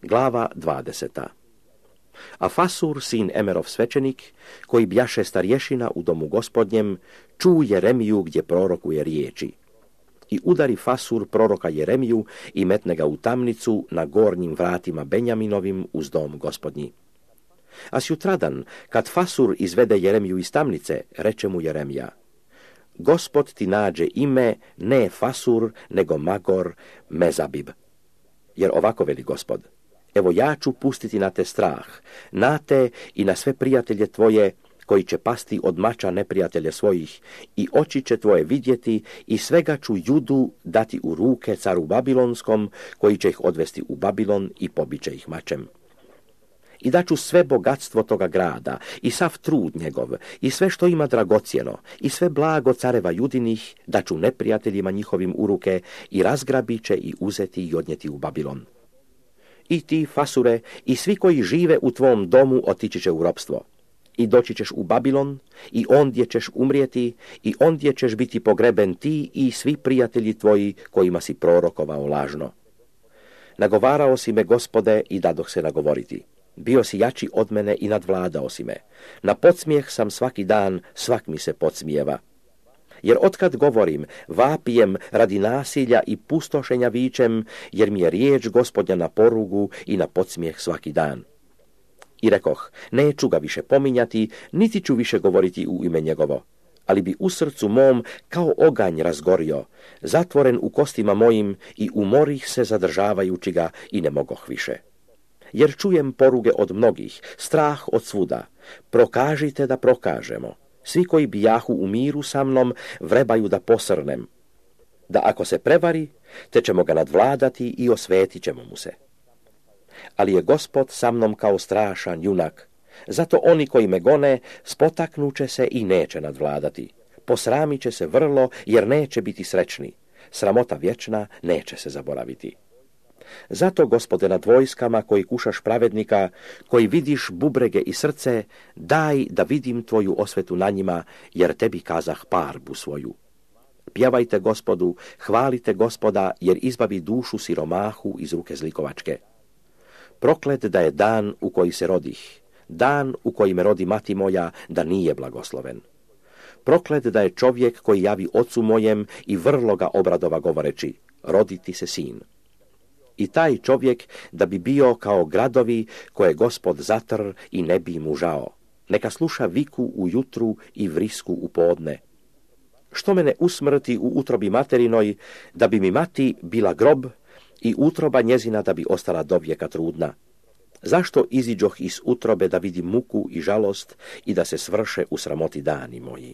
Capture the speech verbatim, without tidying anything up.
Glava dvadeseta. A Fasur, sin Emerov svečenik, koji bjaše starješina u domu gospodnjem, ču Jeremiju gdje prorokuje riječi. I udari Fasur proroka Jeremiju i metne ga u tamnicu na gornjim vratima Benjaminovim uz dom gospodnji. A sjutradan, kad Fasur izvede Jeremiju iz tamnice, reče mu Jeremija: Gospod ti nađe ime ne Fasur, nego Magor Mezabib. Jer ovako veli Gospod: evo ja ću pustiti na te strah, na te i na sve prijatelje tvoje, koji će pasti od mača neprijatelje svojih, i oči će tvoje vidjeti, i svega ću Judu dati u ruke caru Babilonskom, koji će ih odvesti u Babilon i pobiće ih mačem. I daću sve bogatstvo toga grada, i sav trud njegov, i sve što ima dragocjeno, i sve blago careva Judinih, daću neprijateljima njihovim u ruke, i razgrabit će i uzeti i odnijeti u Babilon. I ti, Fasure, i svi koji žive u tvom domu otići će u ropstvo. I doći ćeš u Babilon, i ondje ćeš umrijeti, i ondje ćeš biti pogreben ti i svi prijatelji tvoji kojima si prorokovao lažno. Nagovarao si me, Gospode, i dadoh se nagovoriti. Bio si jači od mene i nadvladao si me. Na podsmijeh sam svaki dan, svak mi se podsmijeva. Jer otkad govorim, vapijem radi nasilja i pustošenja vičem, jer mi je riječ Gospodnja na porugu i na podsmijeh svaki dan. I rekoh, neću ga više pominjati, niti ću više govoriti u ime njegovo, ali bi u srcu mom kao oganj razgorio, zatvoren u kostima mojim, i umorih se zadržavajući ga i ne mogoh više. Jer čujem poruge od mnogih, strah od svuda. Prokažite da prokažemo. Svi koji bijahu u miru sa mnom vrebaju da posrnem. Da ako se prevari, te ćemo ga nadvladati i osvetit ćemo mu se. Ali je Gospod sa mnom kao strašan junak. Zato oni koji me gone spotaknuće se i neće nadvladati. Posramit će se vrlo, jer neće biti srećni. Sramota vječna neće se zaboraviti. Zato, Gospode, nad vojskama koji kušaš pravednika, koji vidiš bubrege i srce, daj da vidim tvoju osvetu na njima, jer tebi kazah parbu svoju. Pjevajte Gospodu, hvalite Gospoda, jer izbavi dušu siromahu iz ruke zlikovačke. Proklet da je dan u koji se rodih, dan u koji me rodi mati moja, da nije blagosloven. Proklet da je čovjek koji javi ocu mojem i vrlo ga obradova govoreći, roditi se sin. I taj čovjek da bi bio kao gradovi koje Gospod zatr i ne bi mu žao. Neka sluša viku ujutru i vrisku u podne. Što mene usmrti u utrobi materinoj, da bi mi mati bila grob i utroba njezina da bi ostala dovijeka trudna? Zašto iziđoh iz utrobe da vidim muku i žalost i da se svrše u sramoti dani moji?